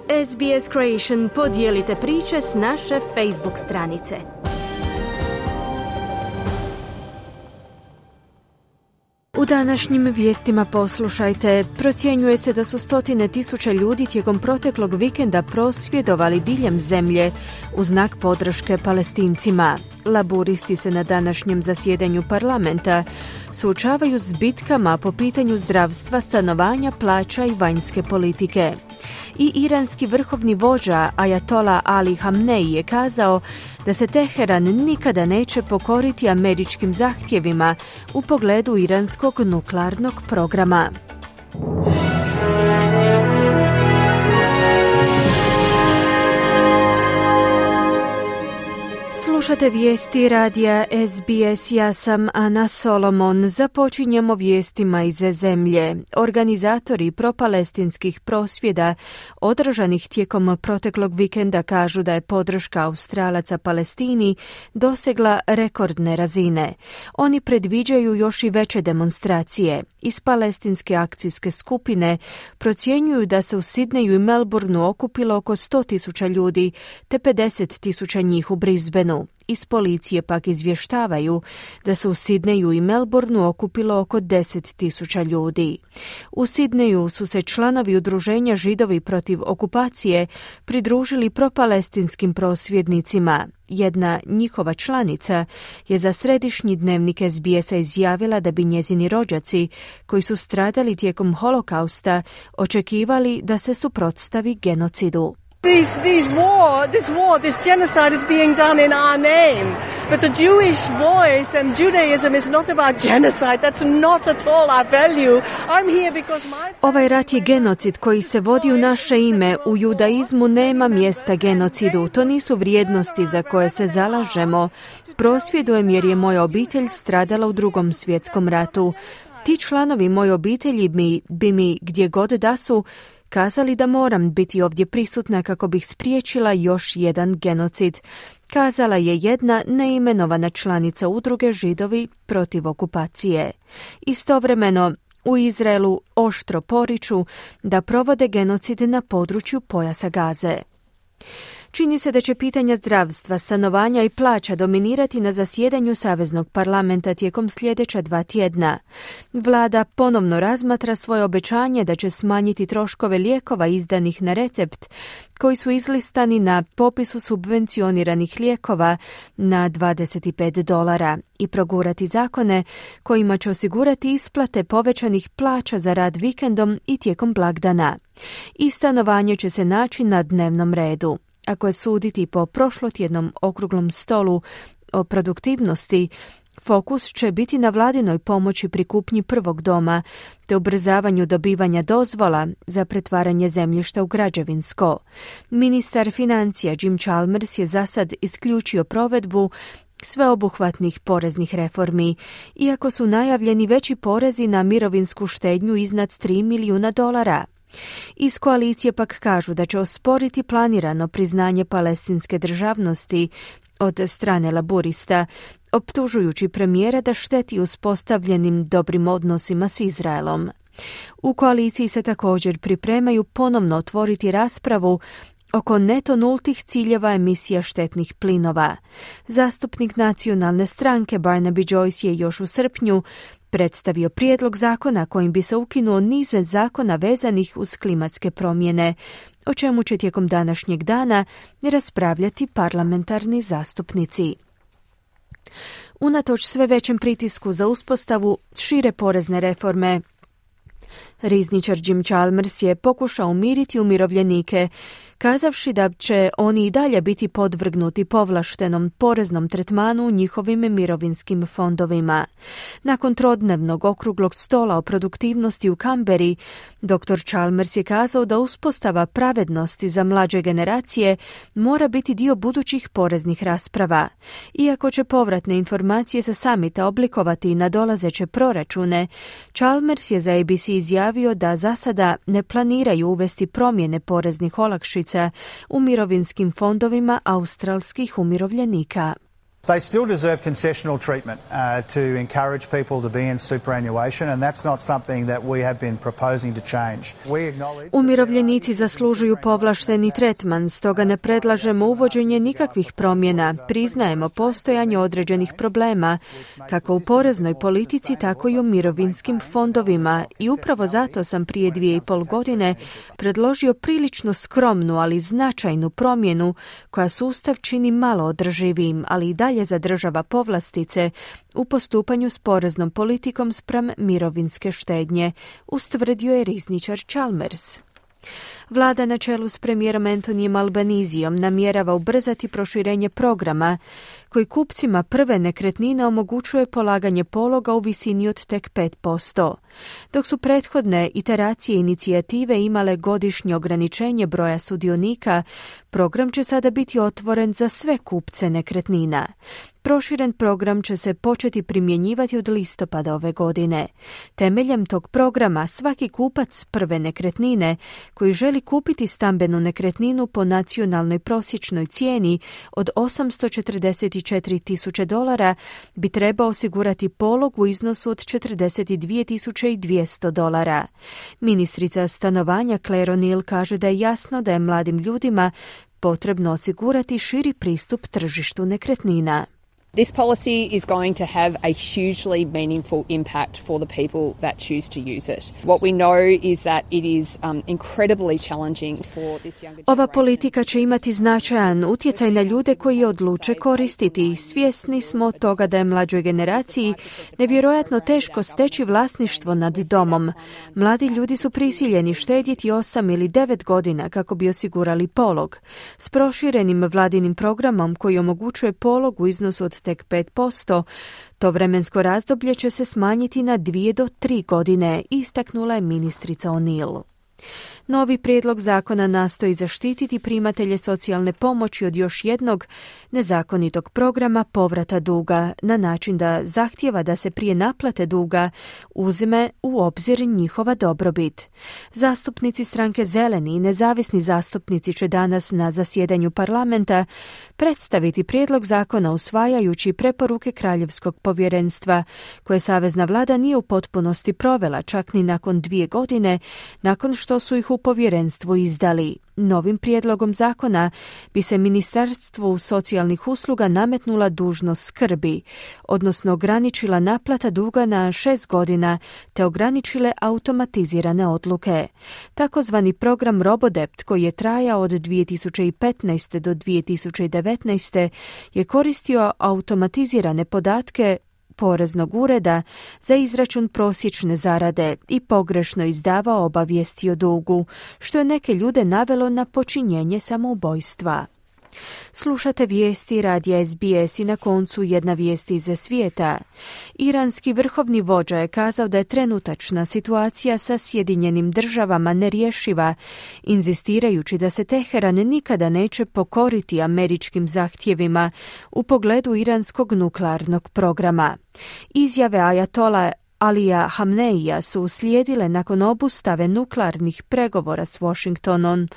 SBS Creation, podijelite priče s naše Facebook stranice. U današnjim vijestima poslušajte. Procjenjuje se da su stotine tisuća ljudi tijekom proteklog vikenda prosvjedovali diljem zemlje u znak podrške Palestincima. Laburisti se na današnjem zasjedanju parlamenta suočavaju s bitkama po pitanju zdravstva, stanovanja, plaća i vanjske politike. I iranski vrhovni vođa Ajatola Ali Hamnej je kazao da se Teheran nikada neće pokoriti američkim zahtjevima u pogledu iranskog nuklearnog programa. Slušate vijesti radija SBS, ja sam Ana Solomon. Započinjemo vijestima iz zemlje. Organizatori propalestinskih prosvjeda održanih tijekom proteklog vikenda kažu da je podrška Australaca Palestini dosegla rekordne razine. Oni predviđaju još i veće demonstracije. Iz palestinske akcijske skupine procjenjuju da se u Sidneju i Melbourneu okupilo oko 100.000 ljudi, te 50.000 njih u Brisbaneu. Iz policije pak izvještavaju da se u Sidneju i Melbourneu okupilo oko 10.000 ljudi. U Sidneju su se članovi udruženja Židovi protiv okupacije pridružili propalestinskim prosvjednicima. Jedna njihova članica je za središnji dnevnik SBS-a izjavila da bi njezini rođaci, koji su stradali tijekom holokausta, očekivali da se suprotstavi genocidu. This genocide is being done in our name. But the Jewish voice and Judaism is not about genocide. That's not at all our value. I'm here because Ovaj rat je genocid koji se vodi u naše ime. U judaizmu nema mjesta genocidu. To nisu vrijednosti za koje se zalažemo. Prosvjedujem jer je moja obitelj stradala u Drugom svjetskom ratu. Ti članovi moje obitelji bi mi gdje god da su kazali da moram biti ovdje prisutna kako bih spriječila još jedan genocid, kazala je jedna neimenovana članica udruge Židovi protiv okupacije. Istovremeno, u Izraelu oštro poriču da provode genocid na području pojasa Gaze. Čini se da će pitanja zdravstva, stanovanja i plaća dominirati na zasjedanju Saveznog parlamenta tijekom sljedeća 2 tjedna. Vlada ponovno razmatra svoje obećanje da će smanjiti troškove lijekova izdanih na recept, koji su izlistani na popisu subvencioniranih lijekova na $25 i progurati zakone kojima će osigurati isplate povećanih plaća za rad vikendom i tijekom blagdana. I stanovanje će se naći na dnevnom redu. Ako je suditi po prošlotjednom okruglom stolu o produktivnosti, fokus će biti na vladinoj pomoći pri kupnji prvog doma te ubrzavanju dobivanja dozvola za pretvaranje zemljišta u građevinsko. Ministar financija Jim Chalmers je zasad isključio provedbu sveobuhvatnih poreznih reformi, iako su najavljeni veći porezi na mirovinsku štednju iznad $3 milijuna. Iz koalicije pak kažu da će osporiti planirano priznanje palestinske državnosti od strane laburista, optužujući premijera da šteti uspostavljenim dobrim odnosima s Izraelom. U koaliciji se također pripremaju ponovno otvoriti raspravu oko neto nultih ciljeva emisija štetnih plinova. Zastupnik nacionalne stranke Barnaby Joyce je još u srpnju predstavio prijedlog zakona kojim bi se ukinuo niz zakona vezanih uz klimatske promjene, o čemu će tijekom današnjeg dana raspravljati parlamentarni zastupnici. Unatoč sve većem pritisku za uspostavu šire porezne reforme, rizničar Jim Chalmers je pokušao umiriti umirovljenike, kazavši da će oni i dalje biti podvrgnuti povlaštenom poreznom tretmanu u njihovim mirovinskim fondovima. Nakon trodnevnog okruglog stola o produktivnosti u Kamberi, dr. Chalmers je kazao da uspostava pravednosti za mlađe generacije mora biti dio budućih poreznih rasprava. Iako će povratne informacije sa samita oblikovati i nadolazeće proračune, Chalmers je za ABC izjavio da za sada ne planiraju uvesti promjene poreznih olakšica u mirovinskim fondovima australskih umirovljenika. They still deserve concessional treatment to encourage people to be in superannuation, and that's not something that we have been proposing to change. Umirovljenici zaslužuju povlašteni tretman, stoga ne predlažemo uvođenje nikakvih promjena. Priznajemo postojanje određenih problema, kako u poreznoj politici, tako i u mirovinskim fondovima, i upravo zato sam prije 2,5 godine predložio prilično skromnu, ali značajnu promjenu koja sustav čini malo održivijim, ali i dalje zadržava povlastice u postupanju s poreznom politikom spram mirovinske štednje, ustvrdio je rizničar Chalmers. Vlada na čelu s premijerom Antonijem Albanizijom namjerava ubrzati proširenje programa koji kupcima prve nekretnine omogućuje polaganje pologa u visini od tek 5%. Dok su prethodne iteracije inicijative imale godišnje ograničenje broja sudionika, program će sada biti otvoren za sve kupce nekretnina. Proširen program će se početi primjenjivati od listopada ove godine. Temeljem tog programa svaki kupac prve nekretnine koji želi kupiti stambenu nekretninu po nacionalnoj prosječnoj cijeni od $844,000 bi trebao osigurati polog u iznosu od $42,200. Ministrica stanovanja Claire O'Neill kaže da je jasno da je mladim ljudima potrebno osigurati širi pristup tržištu nekretnina. This policy is going to have a hugely meaningful impact for the people that choose to use it. What we know is that it is incredibly challenging for this younger generation. Ova politika će imati značajan utjecaj na ljude koji je odluče koristiti. Svjesni smo toga da je mlađoj generaciji nevjerojatno teško steći vlasništvo nad domom. Mladi ljudi su prisiljeni štedjeti 8 ili 9 godina kako bi osigurali polog. S proširenim vladinim programom koji omogućuje polog u iznosu od tek 5%, to vremensko razdoblje će se smanjiti na 2 do 3 godine, istaknula je ministrica O'Neill. Novi prijedlog zakona nastoji zaštititi primatelje socijalne pomoći od još jednog nezakonitog programa povrata duga na način da zahtijeva da se prije naplate duga uzme u obzir njihova dobrobit. Zastupnici stranke Zeleni i nezavisni zastupnici će danas na zasjedanju parlamenta predstaviti prijedlog zakona usvajajući preporuke Kraljevskog povjerenstva, koje savezna vlada nije u potpunosti provela čak ni nakon 2 godine nakon što su ih u povjerenstvu izdali. Novim prijedlogom zakona bi se Ministarstvu socijalnih usluga nametnula dužnost skrbi, odnosno ograničila naplata duga na 6 godina te ograničile automatizirane odluke. Takozvani program Robodebt, koji je trajao od 2015. do 2019. je koristio automatizirane podatke poreznog ureda za izračun prosječne zarade i pogrešno izdavao obavijesti o dugu, što je neke ljude navelo na počinjenje samoubojstva. Slušate vijesti radija SBS i na koncu jedna vijest iz svijeta. Iranski vrhovni vođa je kazao da je trenutačna situacija sa Sjedinjenim državama nerješiva, inzistirajući da se Teheran nikada neće pokoriti američkim zahtjevima u pogledu iranskog nuklearnog programa. Izjave ajatola Alija Hamneija su uslijedile nakon obustave nuklearnih pregovora s Washingtonom,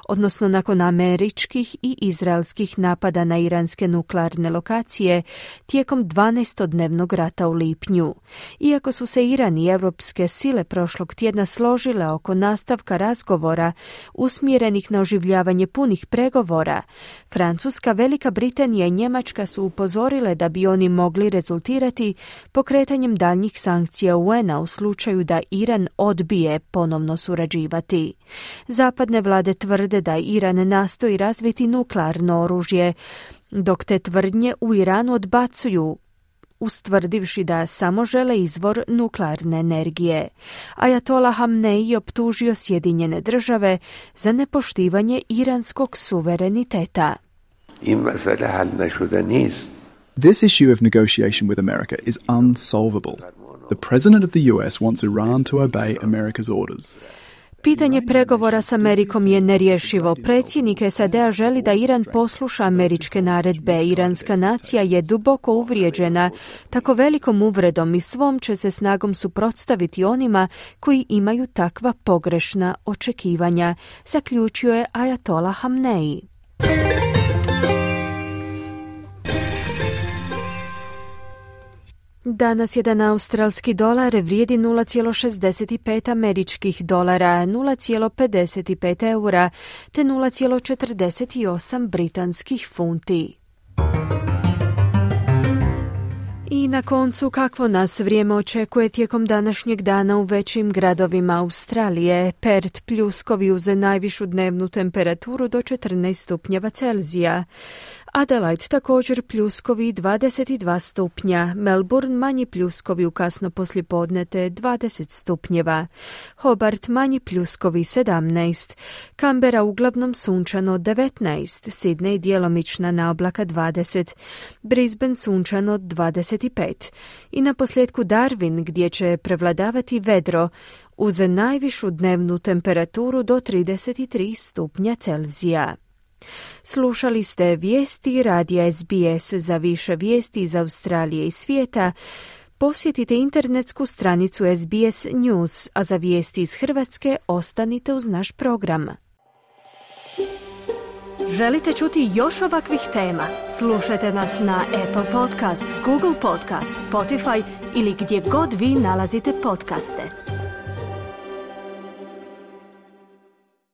odnosno nakon američkih i izraelskih napada na iranske nuklearne lokacije tijekom 12-dnevnog rata u lipnju. Iako su se Iran i europske sile prošlog tjedna složile oko nastavka razgovora usmjerenih na oživljavanje punih pregovora, Francuska, Velika Britanija i Njemačka su upozorile da bi oni mogli rezultirati pokretanjem daljnjih sankcija UN-a u slučaju da Iran odbije ponovno surađivati. Zapadne vlade tvrde da Iran nastoji razviti nuklearno oružje, dok te tvrdnje u Iranu odbacuju, ustvrdivši da samo žele izvor nuklearne energije. Ajatola Hamneji optužio Sjedinjene države za nepoštivanje iranskog suvereniteta. This issue of negotiation with America is unsolvable. The president of the US wants Iran to obey America's orders. Pitanje pregovora s Amerikom je nerješivo. Predsjednik SAD-a želi da Iran posluša američke naredbe. Iranska nacija je duboko uvrijeđena tako velikom uvredom i svom će se snagom suprotstaviti onima koji imaju takva pogrešna očekivanja, zaključio je ajatola Hamneji. Danas jedan australski dolar vrijedi 0,65 američkih dolara, 0,55 eura te 0,48 britanskih funti. I na koncu, kakvo nas vrijeme očekuje tijekom današnjeg dana u većim gradovima Australije. Perth pljuskovi uz najvišu dnevnu temperaturu do 14 stupnjeva Celzija. Adelaide također pljuskovi 22 stupnja, Melbourne manji pljuskovi u kasno poslijepodne te 20 stupnjeva, Hobart manji pljuskovi 17, Canberra uglavnom sunčano 19, Sydney djelomična naoblaka 20, Brisbane sunčano 25 i na posljedku Darwin gdje će prevladavati vedro uz najvišu dnevnu temperaturu do 33 stupnja Celzija. Slušali ste vijesti radija SBS. Za više vijesti iz Australije i svijeta posjetite internetsku stranicu SBS News, a za vijesti iz Hrvatske ostanite uz naš program. Želite čuti još ovakvih tema? Slušajte nas na Apple Podcast, Google Podcast, Spotify ili gdje god vi nalazite podcaste.